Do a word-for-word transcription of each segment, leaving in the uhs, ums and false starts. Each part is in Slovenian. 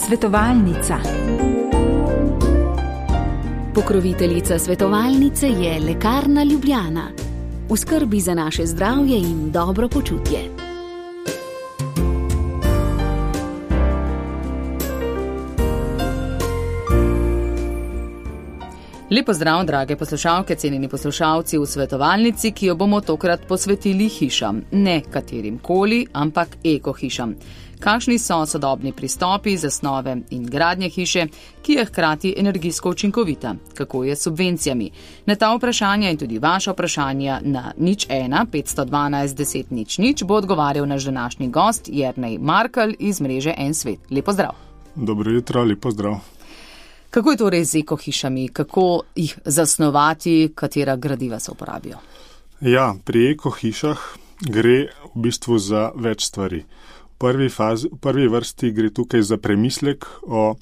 Svetovalnica. Pokroviteljica svetovalnice je Lekarna Ljubljana. V skrbi za naše zdravje in dobro počutje. Lepo zdrav, drage poslušalke, cenjeni poslušalci v svetovalnici, ki jo bomo tokrat posvetili hišam. Ne katerim koli, ampak ekohišam. Kakšni so sodobni pristopi, zasnove in gradnje hiše, ki je hkrati energijsko učinkovita? Kako je s subvencijami? Na ta vprašanja in tudi vaša vprašanja na nič ena petsto dvanajst deset nič nič bo odgovarjal naš današnji gost Jernej Markelj iz mreže En svet. Lepo zdrav. Dobro jutro, lepo zdrav. Kako je torej z ekohišami? Kako jih zasnovati, katera gradiva se uporabijo? Ja, pri ekohišah gre v bistvu za več stvari. V prvi, fazi, v prvi vrsti gre tukaj za premislek o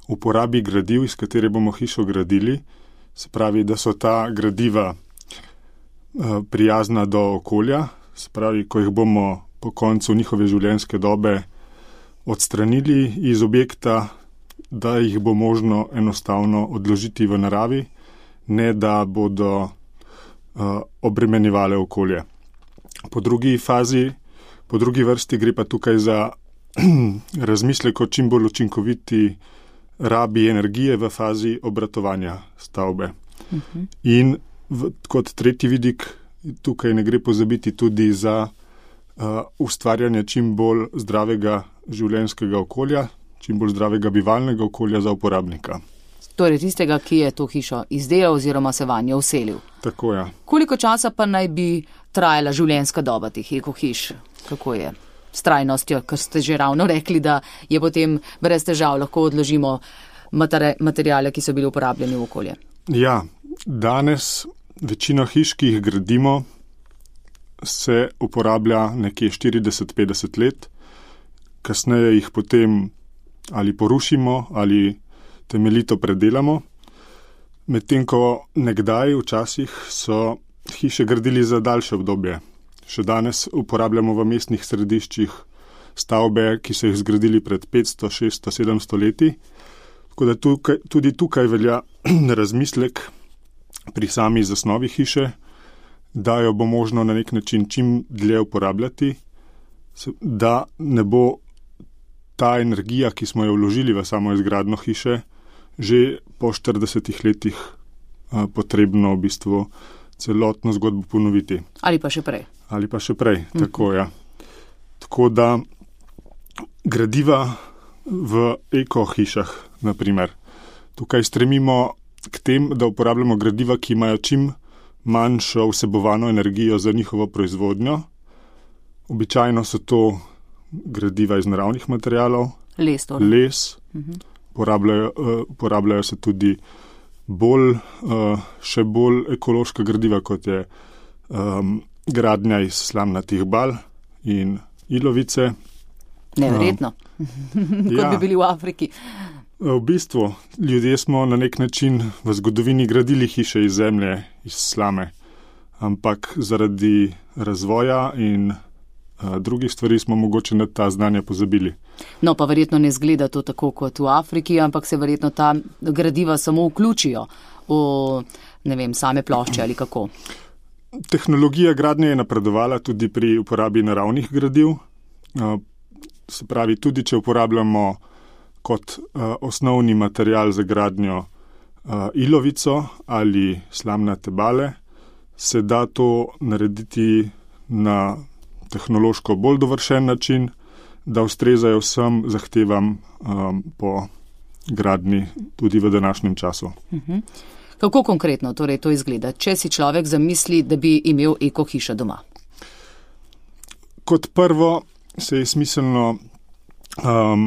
uporabi gradiv, iz katere bomo hišo gradili. Se pravi, da so ta gradiva prijazna do okolja. Se pravi, ko jih bomo po koncu njihove življenjske dobe odstranili iz objekta, da jih bo možno enostavno odložiti v naravi, ne da bodo uh, obremenjevale okolje. Po drugi fazi, po drugi vrsti gre pa tukaj za razmislek o čim bolj učinkoviti rabi energije v fazi obratovanja stavbe. Uh-huh. In v, kot tretji vidik, tukaj ne gre pozabiti tudi za uh, ustvarjanje čim bolj zdravega življenjskega okolja, čim bolj zdravega bivalnega okolja za uporabnika. Torej tistega, ki je to hišo izdelal oziroma se vanjo vselil. Tako je. Koliko časa pa naj bi trajala življenjska doba teh ekohiš? Kako je s trajnostjo, ker ste že ravno rekli, da je potem brez težav lahko odložimo materi- materijale, ki so bili uporabljeni v okolje? Ja, danes večino hiš, ki jih gradimo, se uporablja nekje štirideset do petdeset let, kasneje jih potem ali porušimo, ali temeljito predelamo. Medtem ko nekdaj včasih so hiše gradili za daljše obdobje. Še danes uporabljamo v mestnih središčih stavbe, ki so jih zgradili pred petsto, šeststo, sedemsto leti. Tako da tukaj, tudi tukaj velja razmislek pri sami zasnovi hiše, da jo bo možno na nek način čim dlje uporabljati, da ne bo ta energija, ki smo jo vložili v samo izgradno hiše, že po štiridesetih letih a, potrebno v bistvu celotno zgodbo ponoviti. Ali pa še prej. Ali pa še prej, mm. tako ja. Tako da gradiva v ekohišah, na primer, tukaj stremimo k tem, da uporabljamo gradiva, ki imajo čim manjšo vsebovano energijo za njihovo proizvodnjo. Običajno so to gradiva iz naravnih materialov, les, les. Uh-huh. Porabljajo, uh, porabljajo se tudi bolj, uh, še bolj ekološka gradiva, kot je um, gradnja iz slamnatih bal in ilovice. Neverjetno, um, kot ja, bi bili v Afriki. V bistvu, ljudje smo na nek način v zgodovini gradili hiše iz zemlje, iz slame, ampak zaradi razvoja in drugih stvari smo mogoče na ta znanja pozabili. No, pa verjetno ne zgleda to tako kot v Afriki, ampak se verjetno ta gradiva samo vključijo v, ne vem, same plošče ali kako. Tehnologija gradnje je napredovala tudi pri uporabi naravnih gradiv. Se pravi, tudi če uporabljamo kot osnovni material za gradnjo ilovico ali slamnate bale, se da to narediti na tehnološko bolj dovršen način, da ustrezajo vsem zahtevam um, po gradnji tudi v današnjem času. Uh-huh. Kako konkretno torej to izgleda, če si človek zamisli, da bi imel ekohišo doma? Kot prvo se je smiselno um,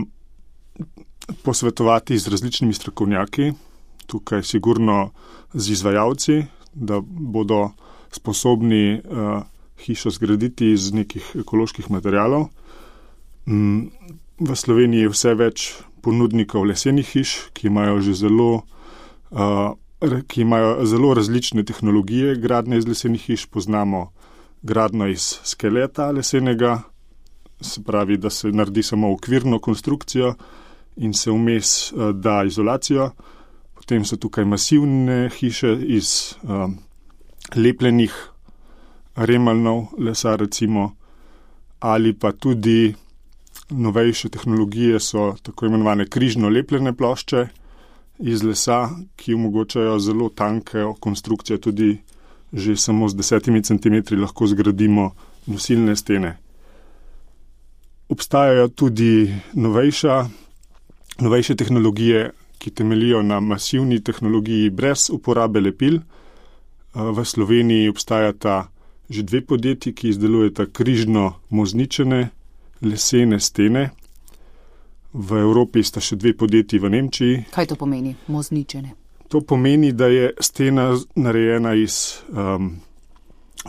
posvetovati z različnimi strokovnjaki, tukaj sigurno z izvajalci, da bodo sposobni uh, hišo zgraditi iz nekih ekoloških materialov. V Sloveniji je vse več ponudnikov lesenih hiš, ki imajo že zelo, uh, ki imajo zelo različne tehnologije gradnje iz lesenih hiš. Poznamo gradnjo iz skeleta lesenega, se pravi, da se naredi samo okvirno konstrukcijo in se vmes uh, da izolacijo. Potem so tukaj masivne hiše iz uh, lepljenih remalnov lesa recimo, ali pa tudi novejše tehnologije so tako imenovane križno lepljene plošče iz lesa, ki omogočajo zelo tanke konstrukcije, tudi že samo z desetimi centimetri lahko zgradimo nosilne stene. Obstajajo tudi novejša, novejše tehnologije, ki temeljijo na masivni tehnologiji brez uporabe lepil. V Sloveniji obstajata že dve podjetji, ki izdelujeta križno mozničene lesene stene. V Evropi sta še dve podjetji v Nemčiji. Kaj to pomeni, mozničene? To pomeni, da je stena narejena iz um,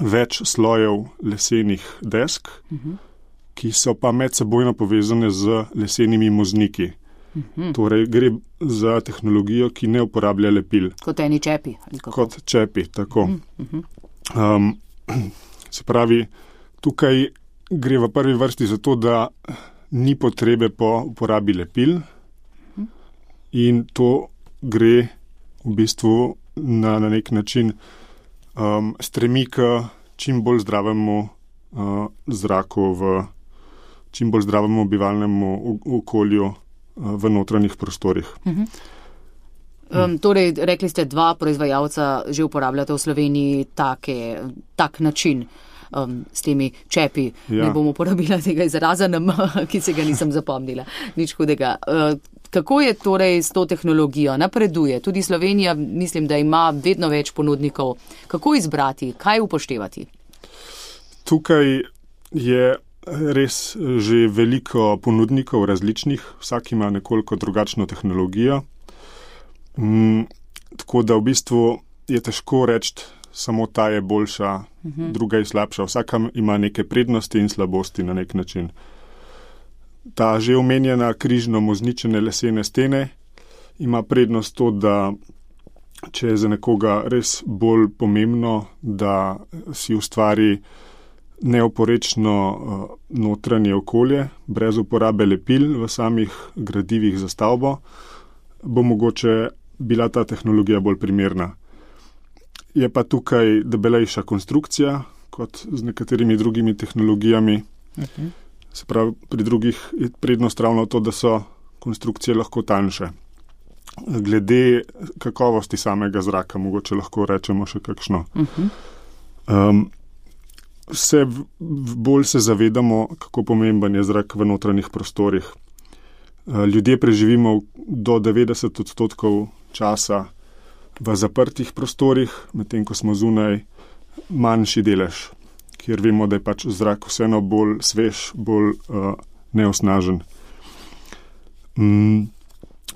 več slojev lesenih desk, uh-huh. ki so pa medsebojno povezane z lesenimi mozniki. Uh-huh. Torej gre za tehnologijo, ki ne uporablja lepil. Kot eni čepi? Ali kako? Kot čepi, tako. Uh-huh. Um, se pravi, tukaj gre v prvi vrsti za to, da ni potrebe po uporabi lepil uh-huh. in to gre v bistvu na, na nek način um, stremi k čim bolj zdravemu uh, zraku, v čim bolj zdravemu bivalnemu okolju uh, v notranjih prostorih. Uh-huh. Um, torej, rekli ste, dva proizvajalca že uporabljate v Sloveniji take, tak način um, s temi čepi. Ja. Ne bom uporabila tega izraza, ki se ga nisem zapomnila. Nič hudega. Uh, Kako je torej s to tehnologijo? Napreduje. Tudi Slovenija, mislim, da ima vedno več ponudnikov. Kako izbrati? Kaj upoštevati? Tukaj je res že veliko ponudnikov različnih. Vsak ima nekoliko drugačno tehnologijo. Mm, tako da v bistvu je težko reči, samo ta je boljša, uh-huh. druga je slabša. Vsaka ima neke prednosti in slabosti na nek način. Ta že omenjena križno mozničene lesene stene ima prednost to, da če je za nekoga res bolj pomembno, da si ustvari neoporečno uh, notranje okolje, brez uporabe lepil v samih gradivih za stavbo, bo mogoče bila ta tehnologija bolj primerna. Je pa tukaj debelejša konstrukcija, kot z nekaterimi drugimi tehnologijami. Okay. Se pravi, pri drugih je prednost ravno to, da so konstrukcije lahko tanjše. Glede kakovosti samega zraka, mogoče lahko rečemo še kakšno. Uh-huh. Um, vse bolj se zavedamo, kako pomemben je zrak v notranjih prostorih. Ljudje preživimo do devetdeset odstotkov časa v zaprtih prostorih, medtem ko smo zunaj manjši delež, kjer vemo, da je pač zrak vseeno bolj svež, bolj uh, neosnažen. Mm,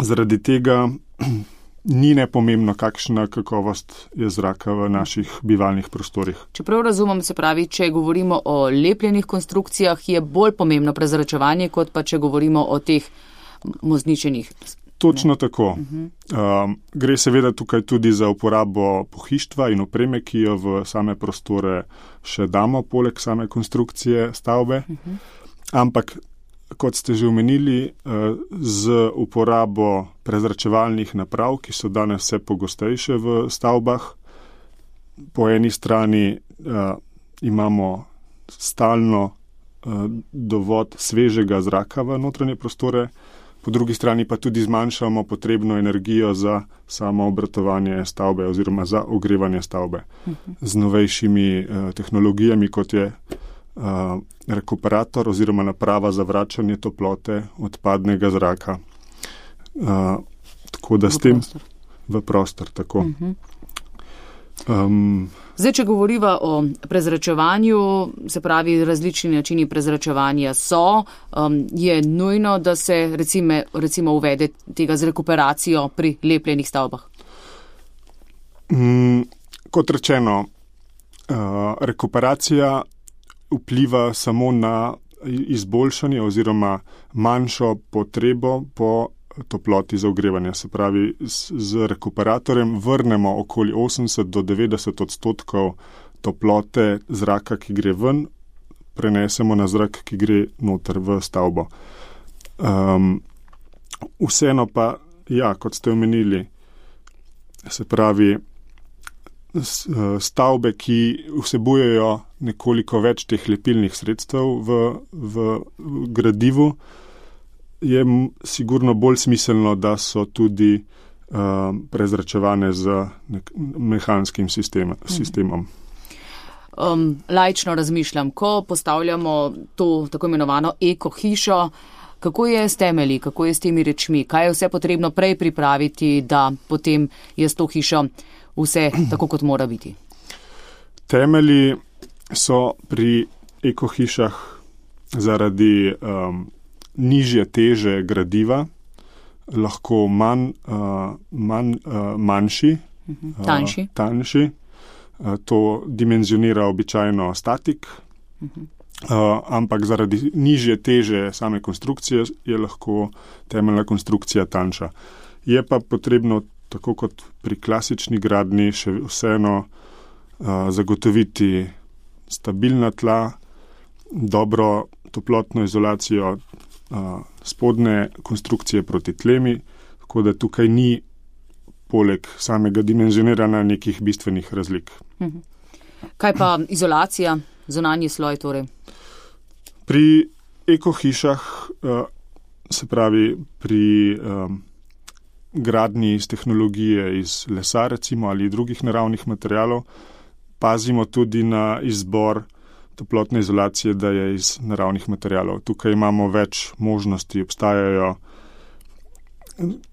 zaradi tega ni nepomembno, kakšna kakovost je zraka v naših bivalnih prostorih. Čeprav razumem, se pravi, če govorimo o lepljenih konstrukcijah, je bolj pomembno prezračevanje, kot pa če govorimo o teh mozničenih. Točno ne. Tako. Uh-huh. Um, gre seveda tukaj tudi za uporabo pohištva in opreme, ki jo v same prostore še damo, poleg same konstrukcije stavbe. Uh-huh. Ampak, kot ste že omenili, uh, z uporabo prezračevalnih naprav, ki so danes vse pogostejše v stavbah, po eni strani uh, imamo stalno uh, dovod svežega zraka v notranje prostore, po drugi strani pa tudi zmanjšamo potrebno energijo za samo obratovanje stavbe oziroma za ogrevanje stavbe. Uh-huh. Z novejšimi uh, tehnologijami, kot je uh, rekuperator oziroma naprava za vračanje toplote odpadnega zraka. Uh, tako da v s tem prostor. v prostor. Tako. Uh-huh. Um, Zdaj, če govoriva o prezračevanju, se pravi, različni načini prezračevanja so, um, je nujno, da se recimo, recimo uvede tega z rekuperacijo pri lepljenih stavbah? Um, kot rečeno, uh, rekuperacija vpliva samo na izboljšanje oziroma manjšo potrebo po toploti za ogrevanje. Se pravi, z, z rekuperatorjem vrnemo okoli osemdeset do devetdeset odstotkov toplote zraka, ki gre ven, prenesemo na zrak, ki gre noter v stavbo. Um, Vseeno pa, ja, kot ste omenili, se pravi, stavbe, ki vsebujejo nekoliko več teh lepilnih sredstev v, v gradivu, je sigurno bolj smiselno, da so tudi uh, prezračevane z nek- mehanskim sistem, sistemom. Um, laično razmišljam, ko postavljamo to tako imenovano eko hišo, kako je s temelji, kako je s temi rečmi, kaj je vse potrebno prej pripraviti, da potem je s to hišo vse tako, kot mora biti? Temelji so pri eko hišah zaradi um, nižje teže gradiva lahko manj, uh, manj, uh, manjši, uh-huh. tanjši. Uh, tanjši. Uh, to dimenzionira običajno statik. Uh-huh. Uh, ampak zaradi nižje teže same konstrukcije je lahko temeljna konstrukcija tanjša. Je pa potrebno, tako kot pri klasični gradnji, še vseeno uh, zagotoviti stabilna tla, dobro toplotno izolacijo uh, spodne konstrukcije proti tlemi, tako da tukaj ni poleg samega dimenzioniranja nekih bistvenih razlik. Mhm. Kaj pa izolacija, zunanji sloj torej? Pri ekohišah, se pravi pri um, gradnji iz tehnologije iz lesa recimo ali drugih naravnih materialov, pazimo tudi na izbor toplotne izolacije, da je iz naravnih materialov. Tukaj imamo več možnosti, obstajajo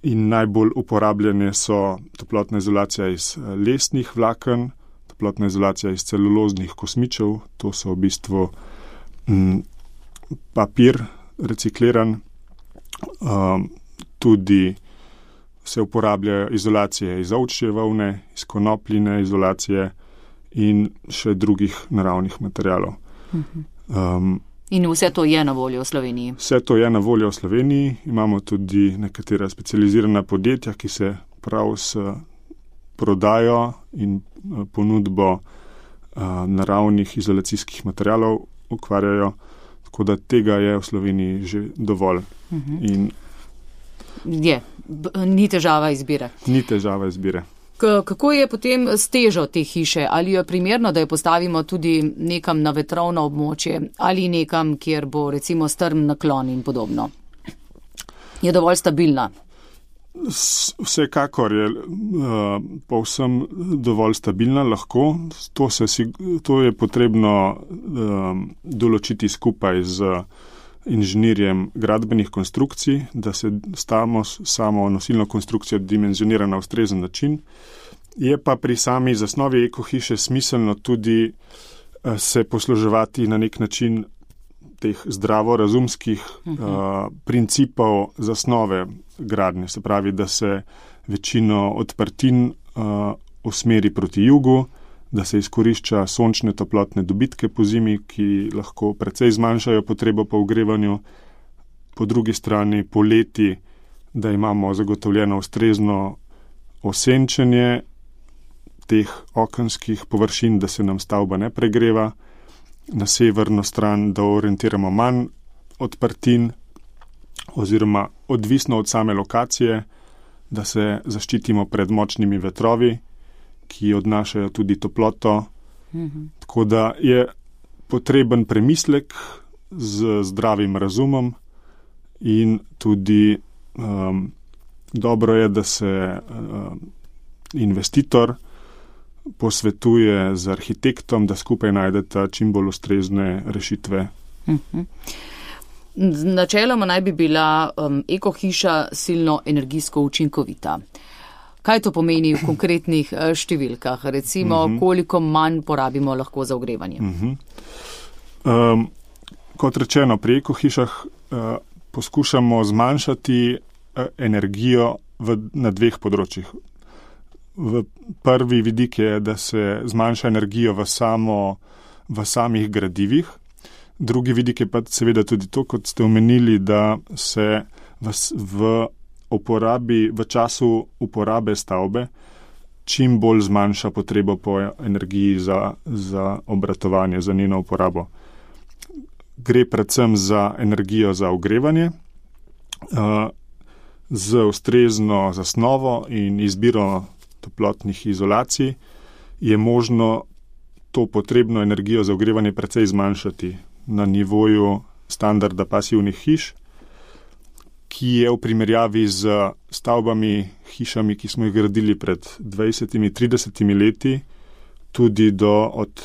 in najbolj uporabljene so toplotna izolacija iz lesnih vlaken, toplotna izolacija iz celuloznih kosmičev, to so v bistvu m, papir recikliran, um, tudi se uporabljajo izolacije iz ovčje volne, iz konopljine izolacije in še drugih naravnih materialov. Um, in vse to je na voljo v Sloveniji? Vse to je na voljo v Sloveniji. Imamo tudi nekatera specializirana podjetja, ki se prav s prodajo in ponudbo uh, naravnih izolacijskih materialov ukvarjajo. Tako da tega je v Sloveniji že dovolj. Uh-huh. In je, B- ni težava izbire. Ni težava izbire. K- kako je potem s težo te hiše? Ali je primerno, da jo postavimo tudi nekam na vetrovno območje ali nekam, kjer bo recimo strm naklon in podobno? Je dovolj stabilna? Vsekakor je uh, povsem dovolj stabilna, lahko. To, se, to je potrebno uh, določiti skupaj z inženirjem gradbenih konstrukcij, da se stamo samo nosilno konstrukcijo dimenzionira na ustrezen način. Je pa pri sami zasnovi ekohiše smiselno tudi uh, se posluževati na nek način teh zdravorazumskih uh-huh. uh, principov zasnove gradnje. Se pravi, da se večino odprtin uh, usmeri proti jugu, da se izkorišča sončne toplotne dobitke po zimi, ki lahko precej zmanjšajo potrebo po ogrevanju. Po drugi strani poleti, da imamo zagotovljeno ustrezno osenčenje teh okenskih površin, da se nam stavba ne pregreva. Na severno stran, da orientiramo manj odprtin oziroma odvisno od same lokacije, da se zaščitimo pred močnimi vetrovi, ki odnašajo tudi toploto. Mhm. Tako da je potreben premislek z zdravim razumom in tudi um, dobro je, da se um, investitor posvetuje z arhitektom, da skupaj najdeta čim bolj ustrezne rešitve. Uh-huh. Načeloma naj bi bila um, ekohiša silno energijsko učinkovita. Kaj to pomeni v konkretnih uh, številkah? Recimo, uh-huh. koliko manj porabimo lahko za ogrevanje? Uh-huh. Um, kot rečeno, pri ekohišah uh, poskušamo zmanjšati uh, energijo v, na dveh področjih. V prvi vidik je, da se zmanjša energijo v, samo, v samih gradivih. Drugi vidik je pa seveda tudi to, kot ste omenili, da se v, v, uporabi, v času uporabe stavbe čim bolj zmanjša potrebo po energiji za, za obratovanje, za njeno uporabo. Gre predvsem za energijo za ogrevanje. Uh, z ustrezno zasnovo in izbiro toplotnih izolacij je možno to potrebno energijo za ogrevanje precej zmanjšati na nivoju standarda pasivnih hiš, ki je v primerjavi z stavbami, hišami, ki smo jih gradili pred dvajsetimi, tridesetimi leti, tudi do od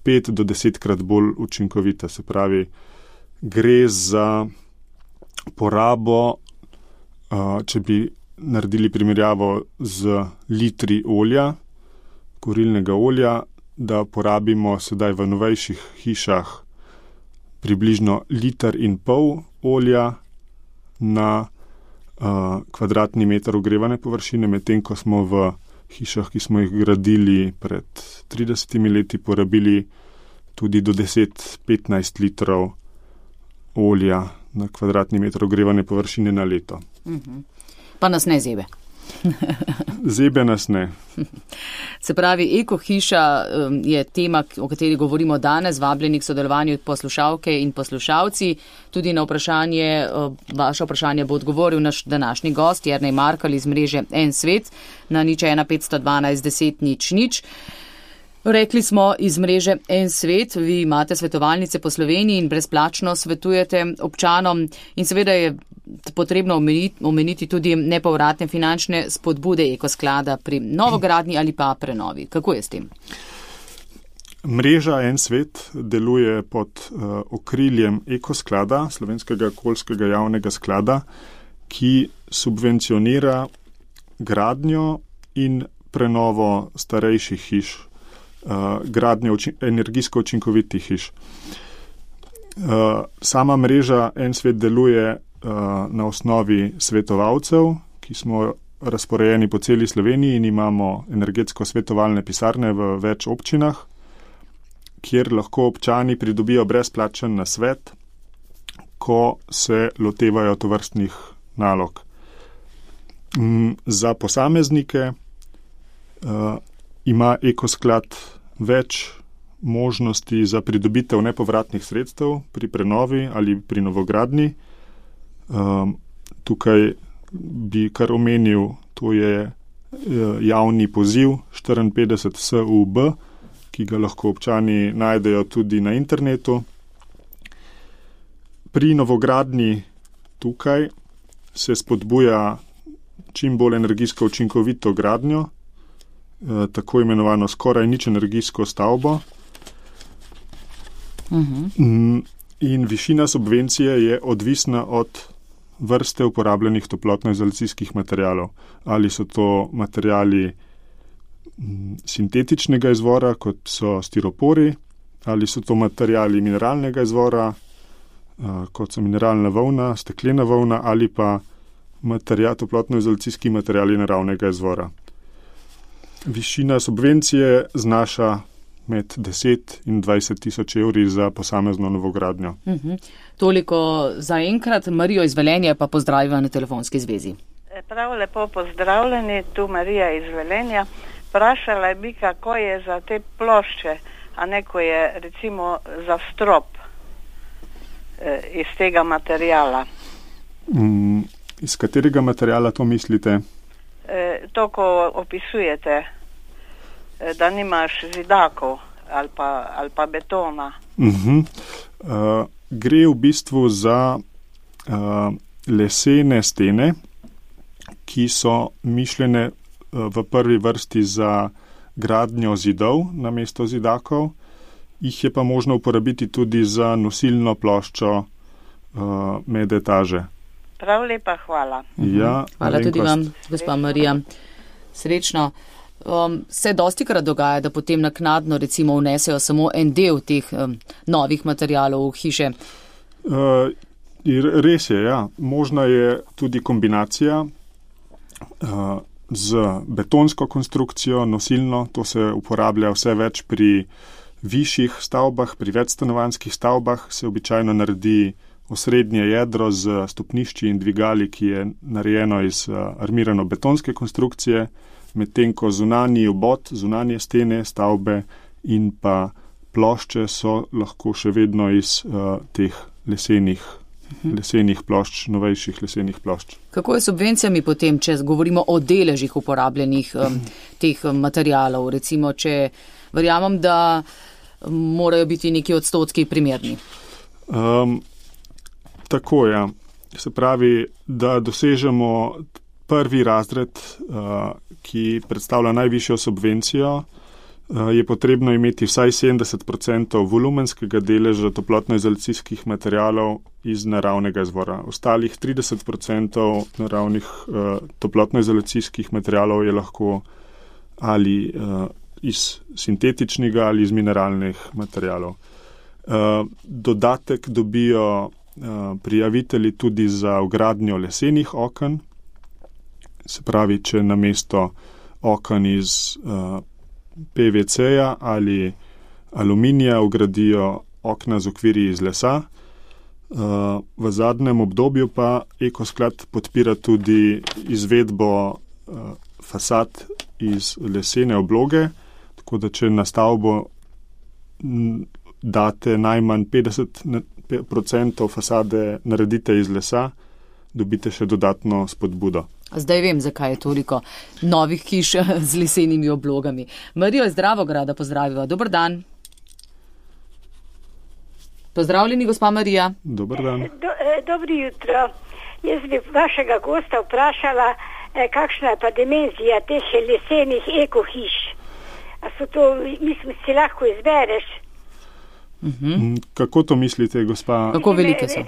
pet do desetkrat bolj učinkovita. Se pravi, gre za porabo, če bi naredili primerjavo z litri olja, kurilnega olja, da porabimo sedaj v novejših hišah približno liter in pol olja na uh, kvadratni meter ogrevane površine, medtem ko smo v hišah, ki smo jih gradili pred tridesetimi leti, porabili tudi do deset do petnajst litrov olja na kvadratni meter ogrevane površine na leto. Uh-huh. Pa nas ne zebe. Zebe nas ne. Se pravi, ekohiša je tema, o kateri govorimo danes, vabljeni k sodelovanju poslušalke in poslušalci. Tudi na vprašanje, vaše vprašanje bo odgovoril naš današnji gost, Jernej Markelj iz mreže En svet na nič ena petsto dvanajst deset nič nič. Rekli smo iz mreže En svet, vi imate svetovalnice po Sloveniji in brezplačno svetujete občanom in seveda je potrebno omeniti, omeniti tudi nepovratne finančne spodbude ekosklada pri novogradnji ali pa prenovi. Kako je s tem? Mreža En svet deluje pod uh, okriljem ekosklada, Slovenskega okoljskega javnega sklada, ki subvencionira gradnjo in prenovo starejših hiš, uh, gradnjo uči- energijsko učinkovitih hiš. Uh, sama mreža En svet deluje na osnovi svetovalcev, ki smo razporejeni po celi Sloveniji in imamo energetsko svetovalne pisarne v več občinah, kjer lahko občani pridobijo brezplačen nasvet, ko se lotevajo tovrstnih nalog. Za posameznike uh, ima ekosklad več možnosti za pridobitev nepovratnih sredstev pri prenovi ali pri novogradnji. Um, tukaj bi kar omenil, to je javni poziv štiriinpetdeset S U B, ki ga lahko občani najdejo tudi na internetu. Pri novogradnji tukaj se spodbuja čim bolj energijsko učinkovito gradnjo, eh, tako imenovano skoraj nič energijsko stavbo. Uh-huh. In višina subvencije je odvisna od vrste uporabljenih toplotno-izolacijskih materialov. Ali so to materiali sintetičnega izvora, kot so stiropori, ali so to materiali mineralnega izvora, kot so mineralna volna, steklena volna, ali pa material, toplotno-izolacijski materiali naravnega izvora. Višina subvencije znaša med deset in dvajset tisoč evri za posamezno novogradnjo. Uh-huh. Toliko za enkrat. Marijo iz Velenja pa pozdravljam na telefonski zvezi. Prav lepo pozdravljeni, tu Marija iz Velenja. Vprašala bi, kako je za te plošče, a neko je recimo za strop eh, iz tega materijala. Mm, iz katerega materijala to mislite? Eh, to, ko opisujete, da nimaš zidakov ali pa, ali pa betona. Uh-huh. Uh, gre v bistvu za uh, lesene stene, ki so mišljene uh, v prvi vrsti za gradnjo zidov namesto zidakov. Jih je pa možno uporabiti tudi za nosilno ploščo uh, med etaže. Prav lepa, hvala. Uh-huh. Ja, hvala tudi vam, gospa Marija. Srečno. Um, se dosti krat dogaja, da potem naknadno recimo vnesejo samo en del teh um, novih materialov v hiše? Uh, res je, ja. Možna je tudi kombinacija uh, z betonsko konstrukcijo, nosilno. To se uporablja vse več pri višjih stavbah, pri večstanovanjskih stavbah se običajno naredi osrednje jedro z stopnišči in dvigali, ki je narejeno iz uh, armirano betonske konstrukcije, medtem ko zunanji obod, zunanje stene stavbe in pa plošče so lahko še vedno iz uh, teh lesenih lesenih plošč, novejših lesenih plošč. Kako je s subvencijami potem, če govorimo o deležih uporabljenih um, teh um, materialov? Recimo, če verjamem, da morajo biti neki odstotki primerni. Um, tako je. Se pravi, da dosežemo prvi razred, uh, ki predstavlja najvišjo subvencijo, je potrebno imeti vsaj sedemdeset procentov volumenskega deleža toplotno-izolacijskih materialov iz naravnega izvora. Ostalih trideset procentov naravnih uh, toplotno-izolacijskih materialov je lahko ali uh, iz sintetičnega ali iz mineralnih materialov. Uh, dodatek dobijo uh, prijavitelji tudi za vgradnjo lesenih oken, se pravi, če namesto oken iz uh, P V C-ja ali aluminija vgradijo okna z okvirji iz lesa. V zadnjem obdobju pa Ekosklad podpira tudi izvedbo fasad iz lesene obloge, tako da če na stavbo date najmanj petdeset procentov fasade naredite iz lesa, dobite še dodatno spodbudo. Zdaj vem, zakaj je toliko novih hiš z lesenimi oblogami. Marijo iz Dravograda pozdraviva. Dobar dan. Pozdravljeni, gospa Marija. Dobar dan. Do, dobro jutro. Jaz bi vašega gosta vprašala, kakšna je pa dimenzija teh lesenih ekohiš. A so to, mislim, si lahko izbereš? Uh-huh. Kako to mislite, gospa? Kako velike so?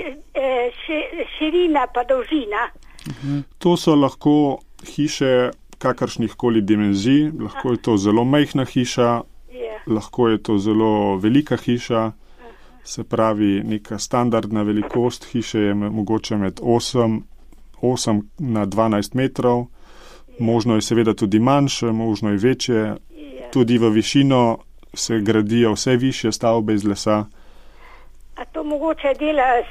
Širina pa dolžina. Uh-huh. To so lahko hiše kakršnih koli dimenzij, lahko je to zelo majhna hiša, yeah. lahko je to zelo velika hiša, se pravi neka standardna velikost hiše je mogoče med osem na dvanajst metrov, yeah. možno je seveda tudi manjše, možno je večje, yeah. tudi v višino se gradijo vse višje stavbe iz lesa. A to mogoče dela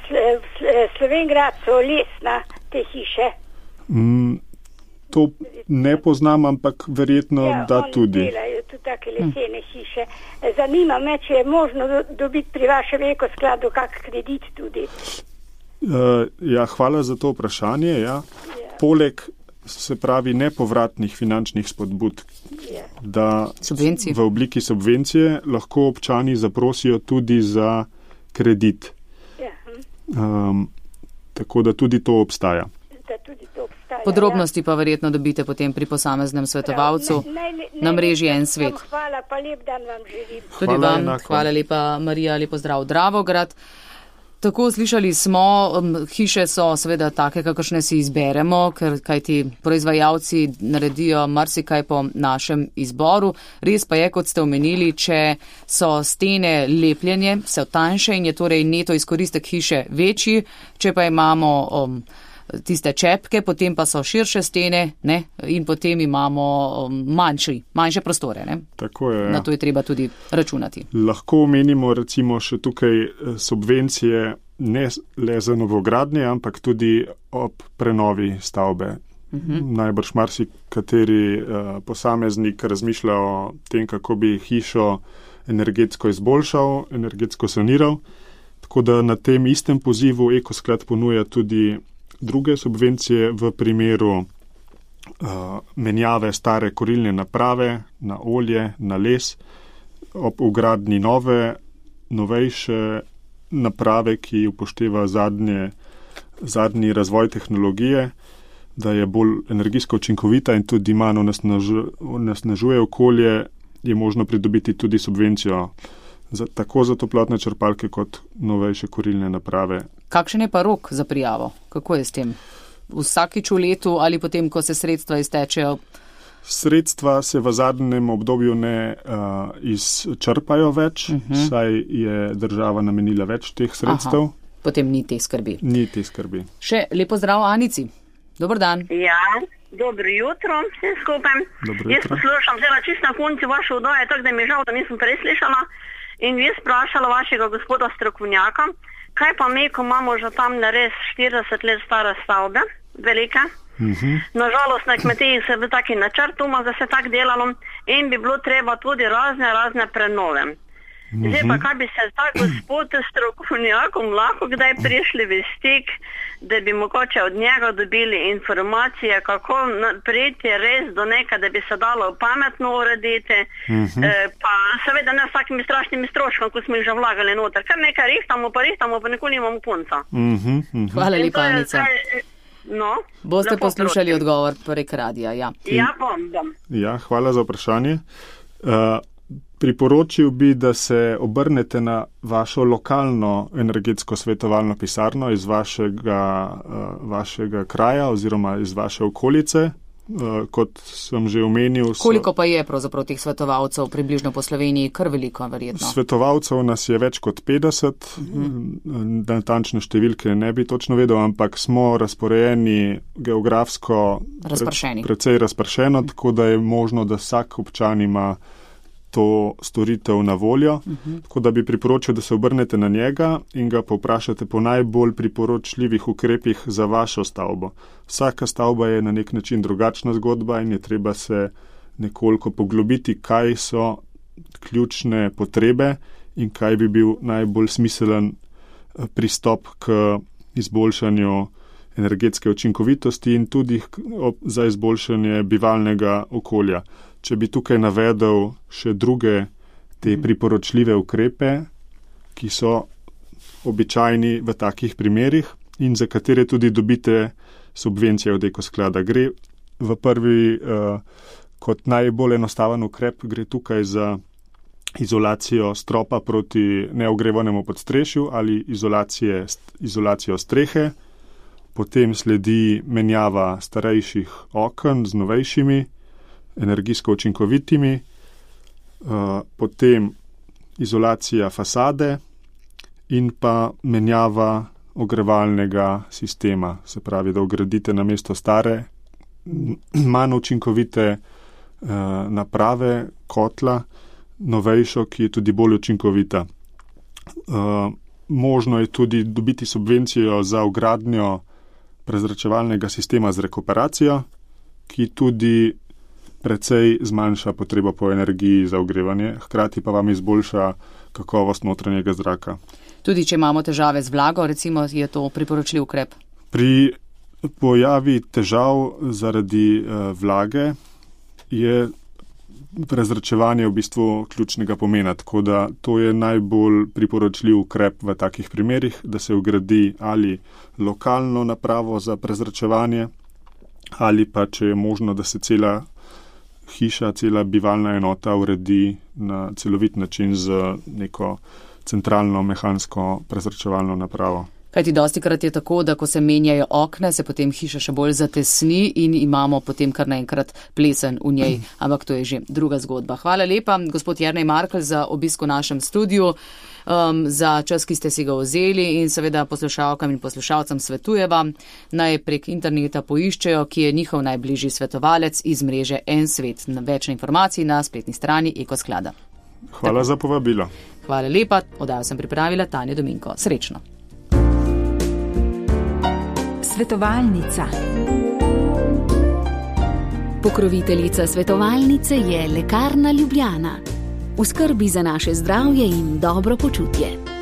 Slovengradco lesna te hiše? Mm, to ne poznam, ampak verjetno ja, da tudi. Ja, oni delajo tudi take lesene hm. hiše. Zanima me, če je možno dobiti pri vašem Ekoskladu kak kredit tudi. Uh, ja, hvala za to vprašanje. Ja. Ja. Poleg, se pravi, nepovratnih finančnih spodbud, ja. da Subvencij. v obliki subvencije lahko občani zaprosijo tudi za kredit. Ja. Um, tako da tudi to obstaja. Da tudi to obstaja. Podrobnosti ja. pa verjetno dobite potem pri posameznem svetovalcu ne, ne, ne, na mreži En svet. Hvala, pa lep dan vam želim. Tudi hvala vam, enako. Hvala lepa Marija, lepo zdrav Dravograd. Tako slišali smo, um, hiše so seveda take, kakršne si izberemo, ker kajti proizvajalci naredijo marsikaj po našem izboru. Res pa je, kot ste omenili, če so stene lepljenje, so tanjše in je torej neto izkoristek hiše večji, če pa imamo um, tiste čepke, potem pa so širše stene, ne, in potem imamo um, manjši, manjše prostore. Ne. Tako je. Na to je treba tudi računati. Lahko omenimo recimo še tukaj subvencije ne le za novogradnje, ampak tudi ob prenovi stavbe. Uh-huh. Najbrž marsikateri uh, posameznik razmišlja o tem, kako bi hišo energetsko izboljšal, energetsko saniral. Tako da na tem istem pozivu Ekosklad ponuja tudi druge subvencije v primeru uh, menjave stare kurilne naprave na olje, na les, ob vgradnji nove, novejše naprave, ki upošteva zadnje, zadnji razvoj tehnologije, da je bolj energijsko učinkovita in tudi manj onesnažuje okolje, je možno pridobiti tudi subvencijo za, tako za toplotne črpalke kot novejše kurilne naprave. Kakšen je pa rok za prijavo? Kako je s tem? Vsakič v letu ali potem, ko se sredstva iztečejo? Sredstva se v zadnjem obdobju ne uh, izčrpajo več, uh-huh. saj je država namenila več teh sredstev. Aha, potem ni te skrbi. Ni te skrbi. Še lepo zdrav Anici. Dobar dan. Ja, dobro jutro vsem skupaj. Dobro Jaz jutro. poslušam zelo čisto na konci vaše oddaje, tako da mi je žal, da nisem preslišala. In vi sprašala vašega gospoda strokovnjaka, kaj pa mi, ko imamo že tam nares štirideset let stare stavbe, velike. Uh-huh. Nažalost, na kmetiji se bi taki načrt, da se tako delalo in bi bilo treba tudi razne, razne prenove. Zdaj pa, kaj bi se ta gospod strokovnjakom lahko kdaj prišli v stik, da bi mogoče od njega dobili informacije, kako priti res do nekaj, da bi se dalo pametno urediti, uh-huh. e, pa seveda ne s takimi strašnimi stroškami, ko smo jih že vlagali noter. Kar nekaj rihtamo, pa rihtamo, pa nikoli imamo konca. Uh-huh, uh-huh. Hvala lepa, Anica. No, boste poslušali prosim. Odgovor prek radija. Ja, ja bom, bom. Ja, hvala za vprašanje. Uh, Priporočil bi, da se obrnete na vašo lokalno energetsko svetovalno pisarno iz vašega, uh, vašega kraja oziroma iz vaše okolice. Uh, kot sem že omenil. So... Koliko pa je pravzaprav teh svetovalcev približno po Sloveniji? Kar veliko, verjetno. Svetovalcev nas je več kot petdeset. Uh-huh. Natančne številke ne bi točno vedel, ampak smo razporejeni geografsko razpršeni. Pre, precej razpršeno, uh-huh. tako da je možno, da vsak občan ima to storitev na voljo, uh-huh. tako da bi priporočil, da se obrnete na njega in ga povprašate po najbolj priporočljivih ukrepih za vašo stavbo. Vsaka stavba je na nek način drugačna zgodba in je treba se nekoliko poglobiti, kaj so ključne potrebe in kaj bi bil najbolj smiselen pristop k izboljšanju energetske učinkovitosti in tudi za izboljšanje bivalnega okolja. Če bi tukaj navedel še druge te priporočljive ukrepe, ki so običajni v takih primerih in za katere tudi dobite subvencije od Ekosklada. Gre v prvi, uh, kot najbolj enostaven ukrep, gre tukaj za izolacijo stropa proti neogrevanemu podstrešju ali izolacije, izolacijo strehe. Potem sledi menjava starejših oken z novejšimi, energijsko učinkovitimi, uh, potem izolacija fasade in pa menjava ogrevalnega sistema, se pravi, da vgradite na mesto stare, manj učinkovite uh, naprave, kotla, novejšo, ki je tudi bolj učinkovita. Uh, možno je tudi dobiti subvencijo za vgradnjo prezračevalnega sistema z rekuperacijo, ki tudi precej zmanjša potrebo po energiji za ogrevanje, hkrati pa vam izboljša kakovost notranjega zraka. Tudi če imamo težave z vlago, recimo, je to priporočljiv ukrep? Pri pojavi težav zaradi uh, vlage je prezračevanje v bistvu ključnega pomena, tako da to je najbolj priporočljiv ukrep v takih primerih, da se vgradi ali lokalno napravo za prezračevanje ali pa, če je možno, da se cela hiša, cela bivalna enota uredi na celovit način z neko centralno mehansko prezračevalno napravo. Kajti dostikrat je tako, da ko se menjajo okna, se potem hiša še bolj zatesni in imamo potem kar naenkrat plesen v njej. Ampak to je že druga zgodba. Hvala lepa, gospod Jernej Markelj, za obisk v našem studiu, um, za čas, ki ste si ga vzeli in seveda poslušalkam in poslušalcem svetujeva, naj prek interneta poiščejo, ki je njihov najbližji svetovalec iz mreže En svet. Več informacij na spletni strani Ekosklada. Hvala tako za povabilo. Hvala lepa, oddajo sem pripravila Tanja Dominko. Srečno. Svetovalnica. Pokroviteljica svetovalnice je Lekarna Ljubljana. V skrbi za naše zdravje in dobro počutje.